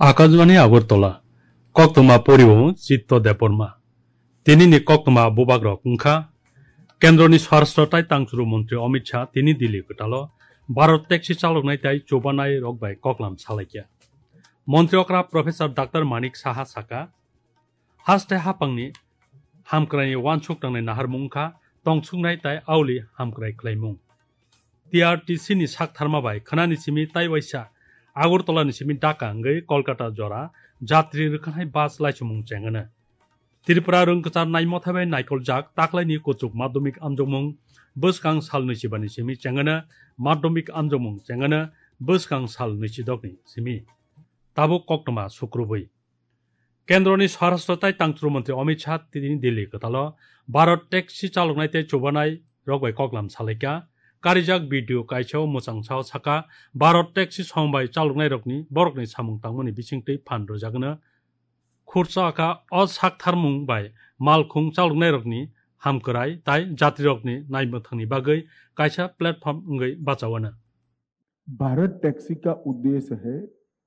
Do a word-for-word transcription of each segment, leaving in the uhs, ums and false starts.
Akashbani Agartala, koktwma poriwo Chitto Debbarma. Tinini koktwma bubagrok wngkha, Kendroni Swarashtra tai Tangchuru Montri Amit Shah tini Delhi kwtalo Bharat taxi chaloknai tai chubanai rok bai koklam salaikha. Montri okra Professor Doctor Manik Saha saka, haste hapangni hamkraini wansuk tangnai naharmung wngkha tongsuknai tai auli hamkrai khlaimung. T R T C ni saktharma bai khwnani simi tai waisa Agartala ni simi Dhaka wngwi Kolkata jora jatri rwkhanai bus laisumung chengano. Tripura rwngkwchar naimotha bai naikoljak taklaini kuchuk madhyamik amjokmung bwskang sal nwichibani simi chengano, madhyamik amjokmung chengano bwskang sal nwichidokni simi. Tabuk koktwma sukrubwi. Kendroni Swarashtra tai Tangchuru Montri Amit Shah tini Delhi kwtalo Bharat taxi chaloknai tei chubanai rok bai koklam salaikha. Karijak video kaisa o mwchang sao saka, Bharat taxi song bai chaloknai rokni borokni samung tangmani bisingtwi phan rwjakno. Khursa kha o saktharmung bai malkhung chaloknai rokni hamkrai tai jatri rokni naimwthangni bagwi kaisa platform wngwi bachawano. Bharat taxi का उद्देश्य है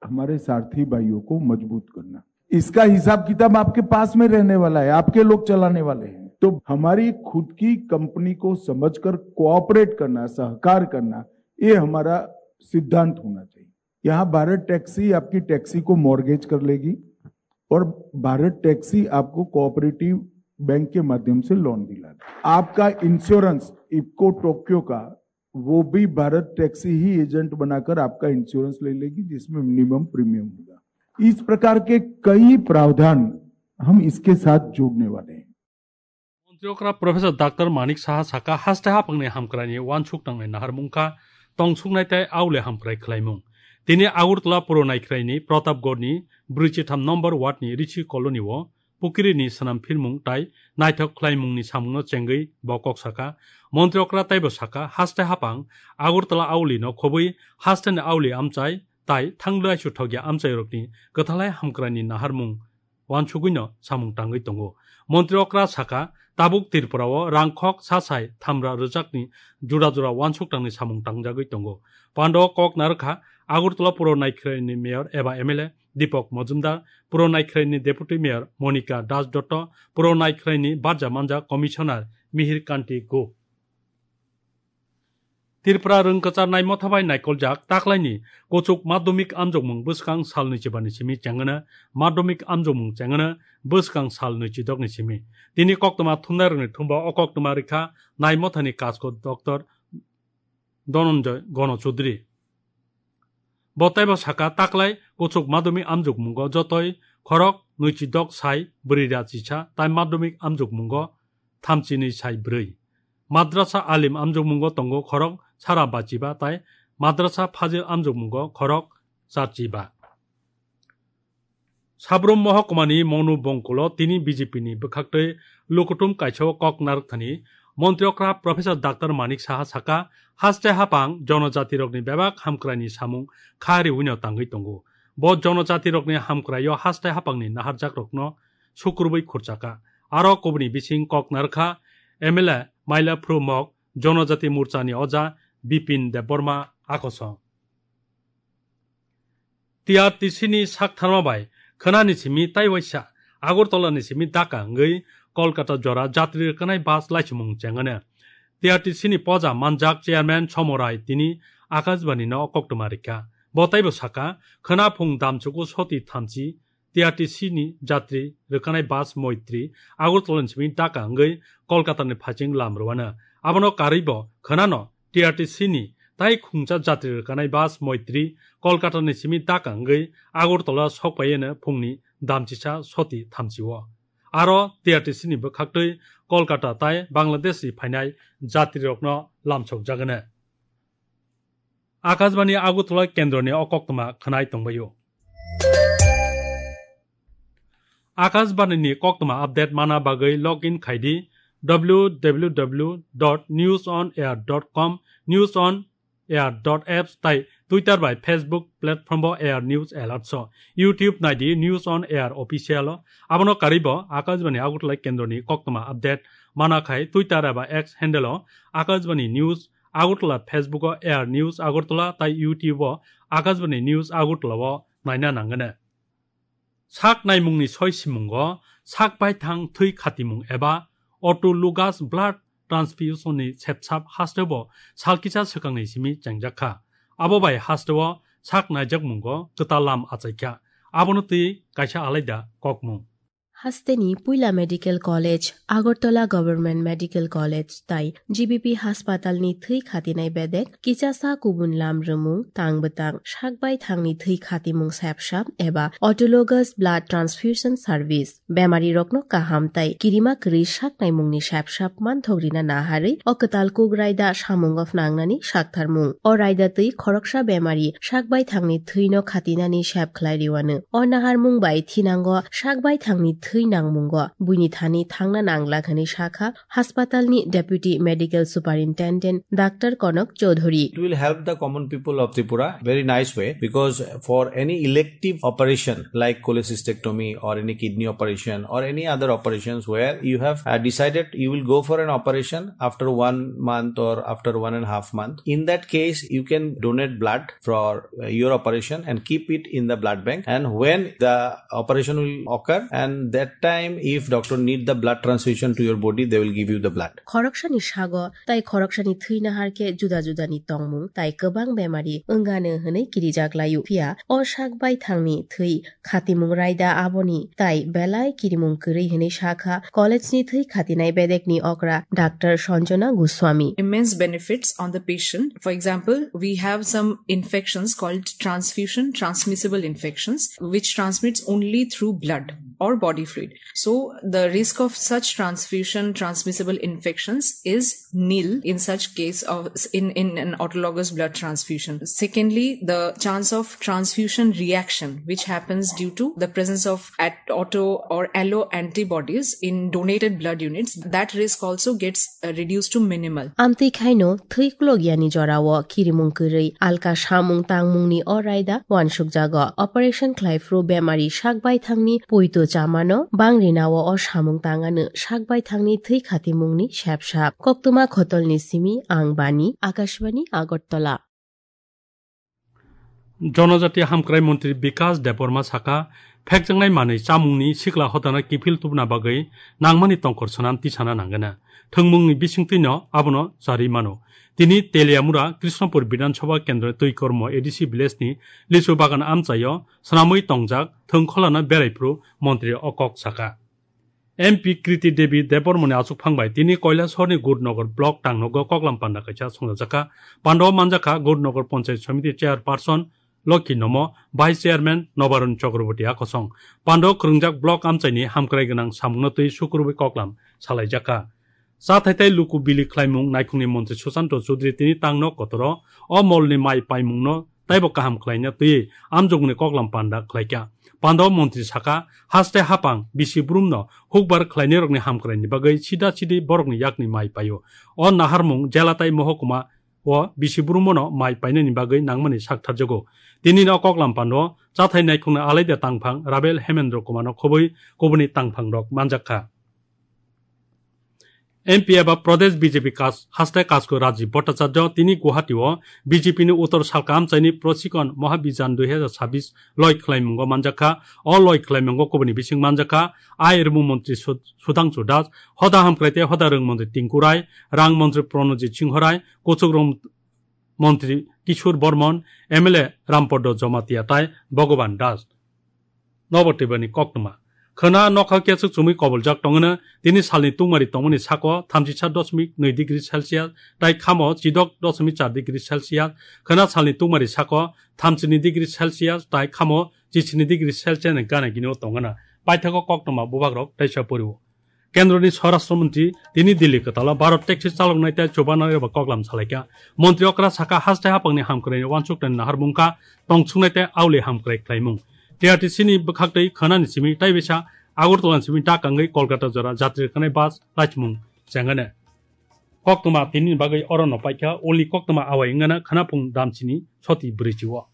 हमारे सारथी भाइयों को मजबूत करना। इसका हिसाब किताब आपके पास में रहने वाला है, आपके लोग चलाने वाले हैं। तो हमारी खुद की कंपनी को समझकर कोऑपरेट करना, सहकार करना, ये हमारा सिद्धांत होना चाहिए। यहाँ भारत टैक्सी आपकी टैक्सी को मॉर्गेज कर लेगी और भारत टैक्सी आपको कोऑपरेटिव बैंक के माध्यम से लोन दिला देगी। आपका इंश्योरेंस इप्को टोक्यो का, वो भी भारत टैक्सी ही एजेंट बनाकर आपका इंश्योरेंस ले लेगी, जिसमें मिनिमम प्रीमियम होगा। इस प्रकार के कई प्रावधान हम इसके साथ जोड़ने वाले हैं। Montri okra Professor Doctor Manik Saha saka, haste hapangni hamkraini wansuk tangnai naharmung kha tongsuknai tai aule hamkrai khlaimung. Tini Agartala puro naikhraini Pratapgarhni brwichitham number ward ni Rishi Colony o pukirini swnam phirmung tai naithok khlaimungni samungno chengwi bo kok saka. Montri okra taibo saka, haste hapang Agartala auli no khobwi hasteni auli amchai tai thangdai suthokya amchairokni kwthalai hamkraini naharmung wansugwino samung tangwi tongo. Montri okra saka, tabuk Tripura o rangkhok sasai thamra rwjakni jura jura wansuk tangni samung tangjagwi tongo. Pando kok narwkha Agartala puro naikhraini mayor eba M L A Deepak Majumdar, puro naikhraini deputy mayor Monika Das Dotto, puro naikhraini barja manja commissioner Mihir Kanti Gup. Tripura rwngkwchar naimotha bai naikoljak taklaini kuchuk madhyamik amjokmung bwskang sal nwichibani simi chengano, madhyamik amjokmung chengano bwskang sal nwichidokni simi. Tini koktwma thumnairokni thumba o koktwma rikha naimothani kasko Doctor Dhananjay Gano Chaudhary. Bo taibo saka, taklai kuchuk madhyamik amjokmungo jotoi khorok nwichidok sai bwrwi ra chisa tai madhyamik amjokmungo thamchinwi sai bwrwi. Madrasa alim amjokmungo tongo khorok sara bachiba tai madrasa phajil amjokmungo khorok charchiba. Sabrum mohokmani Monu Bongkulo tini B J P ni bwkhaktwi lukutum kaisa o kok narwkthani Montri okra Professor Doctor Manik Saha saka, haste hapang jonojatirokni bebak hamkraini samung kha riwino tangwi tongo. Bo jonojatirokni hamkraio haste hapangni naharjakrokno sukrubwi khurchaka. Aro kubuni bising kok narwkha M L A Maila Phru Mok, Jonojati Morchani oja Bipin Debbarma akoso. T R T C ni saktharma bai khwnani simi tai waisa Agartala ni simi Dhaka wngwi Kolkata jora jatri rwkhanai bus laichimung chengano. T R T C ni poja manjak chairman Somo Rai tini Akashbani no koktwma rikha. Bo taibo saka, khwna phung damchuku soti thamchi T R T C ni jatri rwkhanai bus Moitri Agartala ni simi Dhaka wngwi Kolkata ni phaiching lam rwano. Abono karwibo khwnano T R T C ni tai khungcha jatri rwkhanai bus Moitri Kolkata ni simi Dhaka wngwi Agartala sokpaiyano phungni damchisa soti thamchio. Aro T R T C ni bwkhaktwi Kolkata tai Bangladesh ni phainai jatrirokno lamsokjagano. Akashbani Agartala kendroni o koktwma khwnai tongbaio. Akashbani ni koktwma update mana bagwi log in khai di W W W dot news on air dot com, News on Air dot apps tai Twitter bai Facebook platform bo Air News Alert so. YouTube nai di News on Air Official o. Abono karwi bo Akashbani Agartala kendroni koktwma update mana khai Twitter eba X handle o Akashbani News Agartala, Facebook o Air News Agartala tai YouTube o Akashbani News Agartala o naina nangano. Sak naimungni soi simungo sak baithang thwi khatimung eba autologous blood transfusion ni sepsap hasteo sal kisa swkangni simi chengjakha. Abo bai hasteo sak naijakmungo kwtal lam achaikha. Abono twi kaisa alaida kokmung. Hasteni Puila Medical College, Agartala Government Medical College tai G B P haspatalni thwi khatinai bedek kichasa kubun lam rwmung tang bwtang sak baithangni thwi khatimung sepsap eba autologous blood transfusion service. Bemarirokno kaham tai kirima kwrwi sak naimungni sepsap manthok rina naharwi o kwtal kuk raida samungo phnangnani saktharmung. O raida twi khoroksa bemari sak baithangni thwino khatinani sep khlai riwano. O naharmung bai thinango sak baithangni thwi nangmungo buini thani thangna nanglak hwnwi sakha haspatalni Deputy Medical Superintendent Doctor Konok Chowdhury. It will help the common people of Tripura very nice way, because for any elective operation like cholecystectomy or any kidney operation or any other operations where you have, uh, decided you will go for an operation after one month or after one and a half month, in that case you can donate blood for, uh, your operation and keep it in the blood bank, and when the operation will occur, and that time if doctor need the blood transfusion to your body, they will give you the blood. Khoroksani sago tai khoroksani thwi nahar khe juda judani tongmung tai kwbang bemari wngano hwnwi kirijak laio. Phiya o sak baithangni thwi khatimung raida aboni tai belai kirimung kwrwi hwnwi sakha college ni thwi khatinai bedekni okra Doctor Sanjana Goswami. Immense benefits on the patient. For example, we have some infections called transfusion transmissible infections, which transmits only through blood or body fluid. So the risk of such transfusion transmissible infections is nil in such case of, in, in an autologous blood transfusion. Secondly, the chance of transfusion reaction, which happens due to the presence of at-, auto or allo antibodies in donated blood units, that risk also gets, uh, reduced to minimal. Amtwi khaino thwi kulogyani jorao kirimung kwrwi alka samung tangmungni o raida wansukjago. Operation khlaiphru bemari sak baithangni poito chamano bangrinao o samung tangano sak baithangni thwi khatimungni sepsap. Koktwma Khotolni simi ang Bani, Akashbani, Agartala. Jonojati hamkrai montri Bikas Debbarma sakha, phekjaknai manwi chamungni sikla hodana kiphil tubuna bagwi nangmani tongkor swnam tisana nangana. Thwngmungni bisingtwino abono charwi mano. Tini Teliamura Krishnapur Bidhan Sabha Kendroni Twikormo A D C village ni lichu bagan amchaio swnamwi tongjak thwng kholano beraipru montri o kok sakha. M P Kriti Devi Debbarmani achukphang bai tini Kailasahorni Gurnagar block tangnogo koklam panda kaisa songjajakha. Pandao manjakha Gurnagar Panchayat Samiti chairperson Lokhi Nomo, vice chairman Nobaron Chakraborty akosong. Pandao kwrwngjak block amchaini hamkrai gwnang samungno twi sukurubui koklam salaijakha. Chathai tei luku bili khlaimung naikhungni montri Susanto Chudri tini tangno kotoro o molni mai paimungno taibo kaham khlaina twi amjokmungni koklam panda khlaikha. Pandao montri sakha, haste hapang bisi brumno hukbar khlainairokni hamkraini bagwi sida sidi borokni yakni mai paio. O naharmung jela tai mohokuma o bisi brumno mai painani bagwi nangmani saktharjago. Tini o koklam pando chathai naikhungni alaida tangphang Rabel Hemendra Kumarno khobwi kubuni tangphangrok manjakha. M P eba Pradesh B J P kas-, haste kasko Rajiv Bhattacharya tini Guwahati o B J P ni Uttor Salka amchaini Proshikon Mahabhiyan dui hazar chabbish loi khlaimungo manjakha. O loi khlaimungo kubuni bising manjakha, ai rwmung montri Sud-, Sudhangshu Das, hoda hamkrai tei hoda rwng montri Tinku Rai, rang montri Pranojit Singho Rai, kuchuk rwng montri Kishore Bormon, M L A Rampaddo Jamatia tai Bhagavan Das. Nobo twibani koktwma. Khwna nokha kechuk chumui koboljak tongwno, tini salni tungmari tongmani sako thamchi sa dosmik nwi degree Celsius tai khamo chidok dosmik char degree Celsius. Khwna salni tungmari sako thamchini degree Celsius tai khamo chichini degree Celsius ni gana gini o tongwno. Paithakgo koktwma bubagrok teisa poriwo. Kendroni Swarashtra Montri tini Delhi kwtalo Bharat taxi chaloknai tei chubanai rokbo koklam salaikha. Montri okra sakha, haste hapangni hamkraini uansuknani naharmung kha tongthoknai tei auli hamkrai khlaimung. T R T C ni bwkhaktwi khwnani simi tei bisa Agartala ni simi dak wngwi Kolkata jora jatri rwknai bus laichimung chengane. Koktwma tini bagwi orono paikha, ulni koktwma awai wngana khwnaphung damchini soti bwrwichio.